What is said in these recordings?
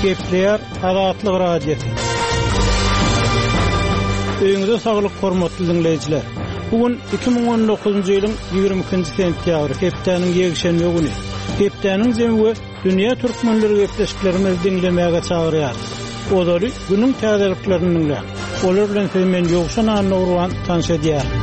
Gepleýär Azatlyk Radiosy. Öýüňize saglyk hormatly diňleýjiler. Bu gün 2019-njy ýylyň 22-nji sentýabry, hepdäniň ýekşenbe güni. Hepdäniň jemi we dünýä türkmenleri gepleşiklerimizi diňlemäge çagyrýarys. Ozaly günüň täzeliklerini diňläň. Olar bilen sizi men Ýowşan Annagurban tanyş edýärin.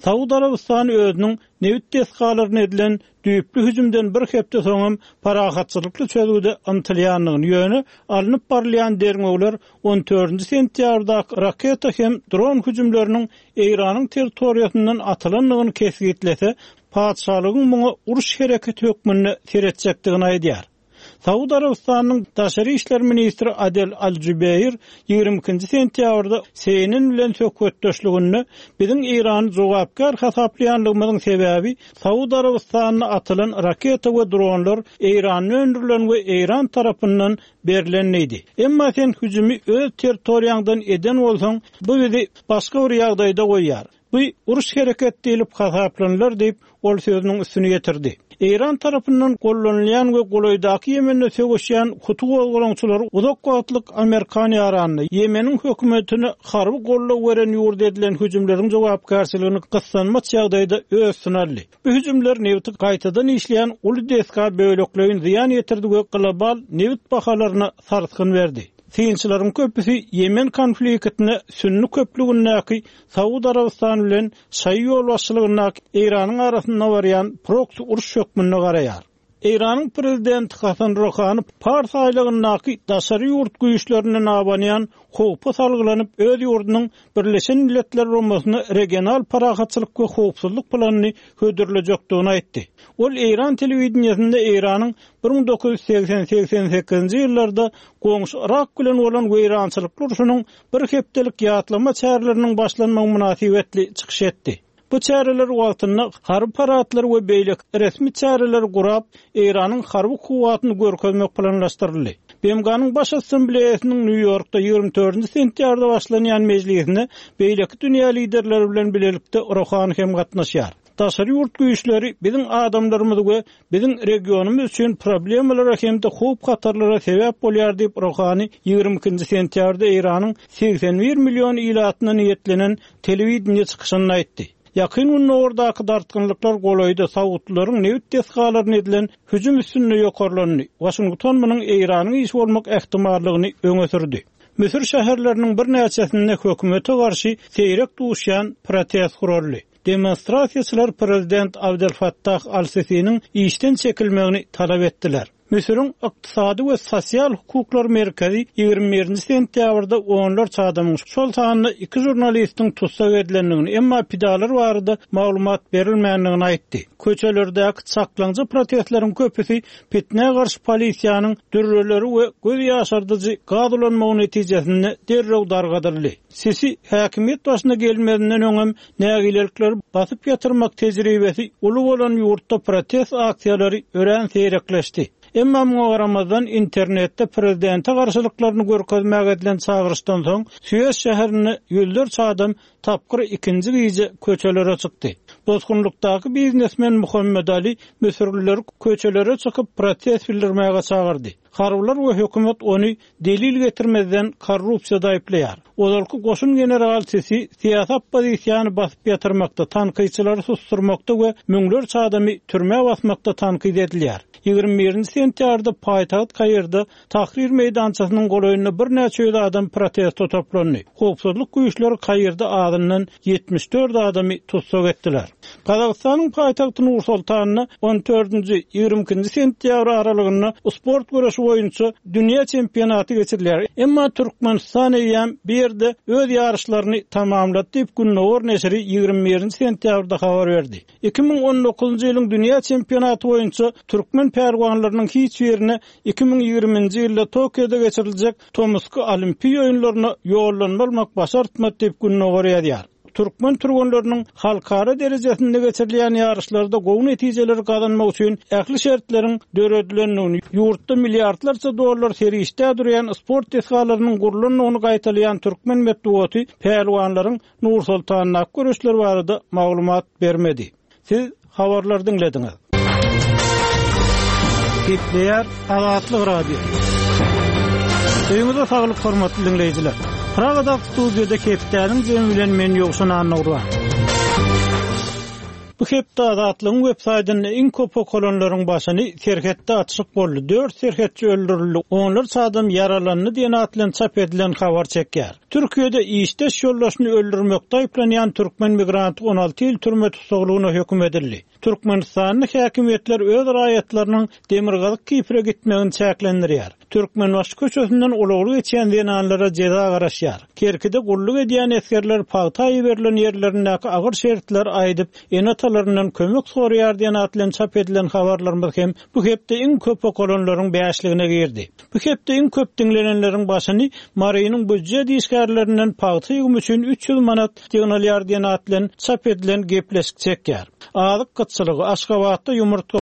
Saud Arabystany özüniň nebit desgalaryna edilen düýpli hüjümden bir hepde soňam parahatçylykly çözgüde ymtylýandygyny, ýöne alnyp barylýan derňewler on dördünji sentýabrdaky raketa hem dron hüjümleriniň Eýranyň territoriýasyndan atylandygyny kesgitlese, patyşalygyň muňa uruş hereketi hökmünde seretjekdigini aýdýar. Saud Arabystanynyň daşary işler ministri Adel Al-Jubeýr 22-nji sentýabrda CNN bilen söhbetdeşliginde biziň Eýrany jogapkär hasaplaýanlygymyzyň sebäbi Saud Arabystanyna atylan raketa we dronlar Eýranda öndürilen we Eýran tarapyndan berlen diýdi. Emma sen hüjümi öz territoriýaňdan eden bolsaň, bu bizi başga bir ýagdaýda goýýar. Bu uruş hereket diýlip hasaplanylar diýip, ol sözüniň üstüni ýetirdi. Eýran tarapyndan gollanylýan we golaýdaky Ýemende söweşýän huty gozgalaňçylary uzak wagtlyk amerikan ýaranyna, Ýemeniň hökümetine harby goldaw beren ýurda edilen hüjümleriň jogapkärçiligini gyssanmaç ýagdaýda öz üstüne aldy. Bu hüjümler nebiti gaýtadan işleýän uly desga bölekleýin zyýan ýetirdi we global nebit bahalaryna sarsgyn berdi. Synçylaryň köpüsi Ýemen konfliktine sünni köplügindäki Saud Arabystany bilen şaýy ýolbaşçylygyndaky Eýranyň arasynda barýan proksi uruş hökmünde garaýar. Eýranyň prezidenti Hasan Ruhany Pars aýlagyndaky daşary ýurt güýçlerinden abanýan howpa salgylanyp, öz ýurdunyň Birleşen Milletler Guramasyna regional parahatçylyk we howpsuzlyk planyny hödürlejekdigini aýtdy. Ol eýran telewideniýesinde Eýranyň 1980, 88-nji ýyllarda goňşy Yrak bilen bolan weýrançylykly urşunyň bir hepdelik ýatlama çäreleriniň başlanmagy mynasybetli çykyş etdi. Bu çäreler wagtynda harby paradlar we beýleki resmi çäreleri gurap, Eýranyň harby kuwwatyny görkezmek planlaşdyryldy. BMG-niň Baş Assambleýasynyň Nýu-Ýorkda 24-nji sentýabrda başlanýan mejlisine beýleki dünýä liderleri bilen bilelikde Rohani hem gatnaşýar. Daşary ýurt güýçleri biziň adamlarymyz we biziň regionymyz üçin problemalara hem-de howp-hatarlara sebäp bolýar diýip, Rohani 22-nji sentýabrda Eýranyň 81 million ilatyna niýetlenen telewideniýe çykyşynda aýtdy. Ýakyn Gündogardaky dartgynlyklar golaýda saudlylaryň nebit desgalaryna edilen hüjüm üstünde ýokarlandy. Waşington munuň Eýranyň işi bolmak ähtimallygyny öňe sürdi. Müsür şäherleriniň birnäçesinde hökümete garşy seýrek duşýan protest guraldy. Demonstrasiýaçylar prezident Abdel Fattah al-Sisiniň işden çekilmegini talap etdiler. Müsüriň Ykdysady we sosial hukuklar merkezi 21-nji sentýabrda onlarça adamyň, şol sanda iki žurnalistiň tussag edilendigini, emma pidalar barada maglumat berilmändigini aýtdy. Köçelerdäki çaklaňja protestleriň köpüsi pitnä garşy polisiýanyň dürreleri we göz ýaşardyjy gaz ulanmagy netijesinde derrew dargadyldy. Sisi häkimiýet başyna gelmezinden öňem nägilelikleri basyp ýatyrmak tejribesi uly bolan ýurtda protest aksiýalary örän seýrekleşdi. Emma muňa garamazdan, internetde prezidente garşylyklaryny görkezmäge edilen çagyryşdan soň, Sues şäherinde ýüzlerçe adam tapgyr ikinji gije köçelere çykdy. Bosgunlykdaky biznesmen Muhammed Ali müsürlileri köçelere çykyp protest bildirmäge çagyrdy. Harbylar we hökümet ony delil getirmezden korrupsiýada aýyplaýar. Ozalky goşun generaly Sisi syýasy oppozisiýany basyp ýatyrmakda, tankytçylary susdurmakda we müňlerçe adamy türmä basmakda tankyt edilýär. 21-nji sentýabrda paýtagt Kairde Tahrir meýdançasynyň golaýynda birnäçe ýüz adam proteste toplandy. Howpsuzlyk güýçleri Kairde azyndan 74 adamy tussag etdiler. Gazagystanyň paýtagty Nur-Sultanda on dördünji, 22-nji sentýabr aralygynda sport göreşi boýunça dünýä çempionaty geçirilýär. Emma Türkmenistan eýýäm bu ýerde öz ýaryşlaryny tamamlady diýip, Gündogar neşiri 21-nji sentýabrda habar berdi. 2019-njy ýylyň dünýä çempionaty boýunça türkmen pälwanlarynyň hiç birine 2020-nji ýylda Tokioda geçiriljek tomusky Olimpiýa oýunlaryna ýollanma almak başartmady diýip, Gündogar ýazýar. Türkmen türgenleriniň halkara derejesinde geçirilýän ýaryşlarda gowy netijeleri gazanmak üçin ähli şertleriň döredilendigini, ýurtda milliardlarça dollar serişdä durýan sport desgalarynyň gurlandygyny gaýtalaýan türkmen metbugaty pälwanlaryň Nur-Sultandaky göreşleri barada maglumat bermedi. Siz habarlary diňlediňiz. Gepleýär Azatlyk Radiosy. Öýüňize saglyk hormatly diňleýjiler. Pragadaky studiýada hepdäniň jemi bilen men Ýowşan Annagurban. Bu hepde Azatlygyň web saýtynda iň köp okalanlaryň başyny Serhetde atyşyk boldy, dört serhetçi öldürildi, onlarça adam ýaralandy diýen at bilen çap edilen habar çekýär. Türkiýede işdeş ýoldaşyny öldürmekde aýyplanýan türkmen migranty 16 ýyl türme tussaglygyna höküm edildi. Türkmenistanda häkimiýetler öz raýatlarynyň Demirgazyk Kipre gitmegini çäklendirýär. Türkmenbaşy köçesinden ulagly geçýän zenanlara jeza garaşýar. Kerkide gulluk edýän esgerler pagta iberilen ýerlerindäki agyr şertleri aýdyp, ene-atalaryndan kömek soraýar diýen at bilen çap edilen habarlarymyz hem bu hepde iň köp okalanlaryň bäşligine girdi. Bu hepde iň köp diňlenenleriň başyny Marynyň býujet işgärlerinden pagta ýygymy üçin 300 manat ýygnalýar diýen at bilen çap edilen gepleşik çekýär. Azyk gytçylygy, Aşgabatda ýumurtga.